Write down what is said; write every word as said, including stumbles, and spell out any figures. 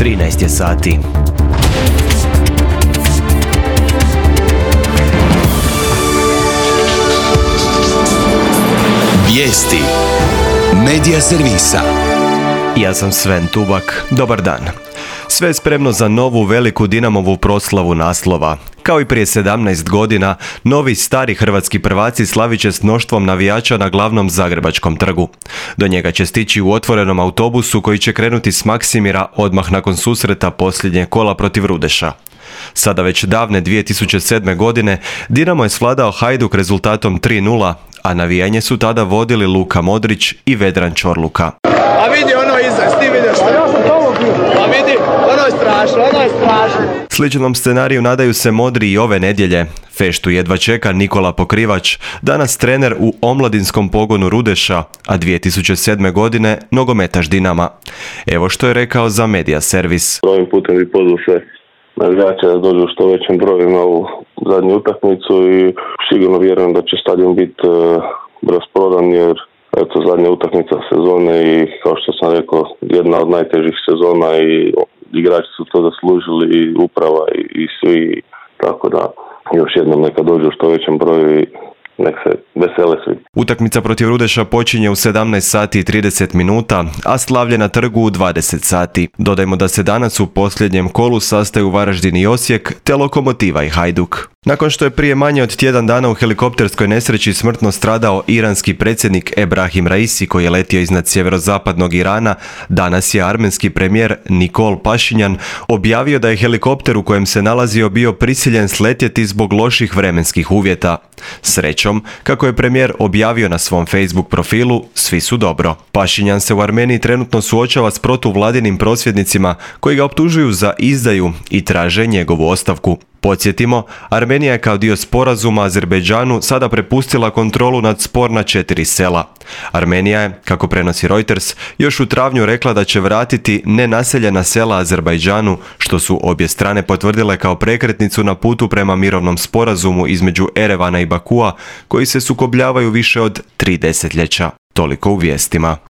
trinaest je sati. Vijesti Medija servisa. Ja sam Sven Tubak. Dobar dan. Sve je spremno za novu veliku Dinamovu proslavu naslova. Kao i prije sedamnaest godina, novi stari hrvatski prvaci slavit će s mnoštvom navijača na glavnom Zagrebačkom trgu. Do njega će stići u otvorenom autobusu koji će krenuti s Maksimira odmah nakon susreta posljednje kola protiv Rudeša. Sada već davne dvije tisuće sedme. godine Dinamo je svladao Hajduk rezultatom tri nula, a navijanje su tada vodili Luka Modrić i Vedran Čorluka. A vidi ono iza, ti vidiš što? Ja sam tamo bio. A vidi, ono je strašno, ono je strašno. Sličnom scenariju nadaju se modri i ove nedjelje. Feštu jedva čeka Nikola Pokrivač, danas trener u omladinskom pogonu Rudeša, a dvije tisuće sedme. godine nogometaš Dinama. Evo što je rekao za Medija servis. Ovim putem bi pozvao sve navijače da dođu što većem broju na ovu zadnju utakmicu i sigurno vjerujem da će stadion biti uh, rasprodan jer eto, zadnja utakmica sezone i kao što sam rekao, jedna od najtežih sezona i igrači su to zaslužili i uprava i, i svi, tako da još jednom neka dođu što većem broju i nek se vesele svi. Utakmica protiv Rudeša počinje u sedamnaest sati i trideset minuta, a slavlje na trgu u dvadeset sati. Dodajmo da se danas u posljednjem kolu sastaju Varaždin i Osijek, te Lokomotiva i Hajduk. Nakon što je prije manje od tjedan dana u helikopterskoj nesreći smrtno stradao iranski predsjednik Ebrahim Raisi koji je letio iznad sjeverozapadnog Irana, danas je armenski premijer Nikol Pašinjan objavio da je helikopter u kojem se nalazio bio prisiljen sletjeti zbog loših vremenskih uvjeta. Srećom, kako je premijer objavio na svom Facebook profilu, svi su dobro. Pašinjan se u Armeniji trenutno suočava s protuvladinim prosvjednicima koji ga optužuju za izdaju i traže njegovu ostavku. Podsjetimo, Armenija je kao dio sporazuma Azerbejdžanu sada prepustila kontrolu nad sporna četiri sela. Armenija je, kako prenosi Reuters, još u travnju rekla da će vratiti nenaseljena sela Azerbejdžanu, što su obje strane potvrdile kao prekretnicu na putu prema mirovnom sporazumu između Erevana i Bakua, koji se sukobljavaju više od tri desetljeća. Toliko u vijestima.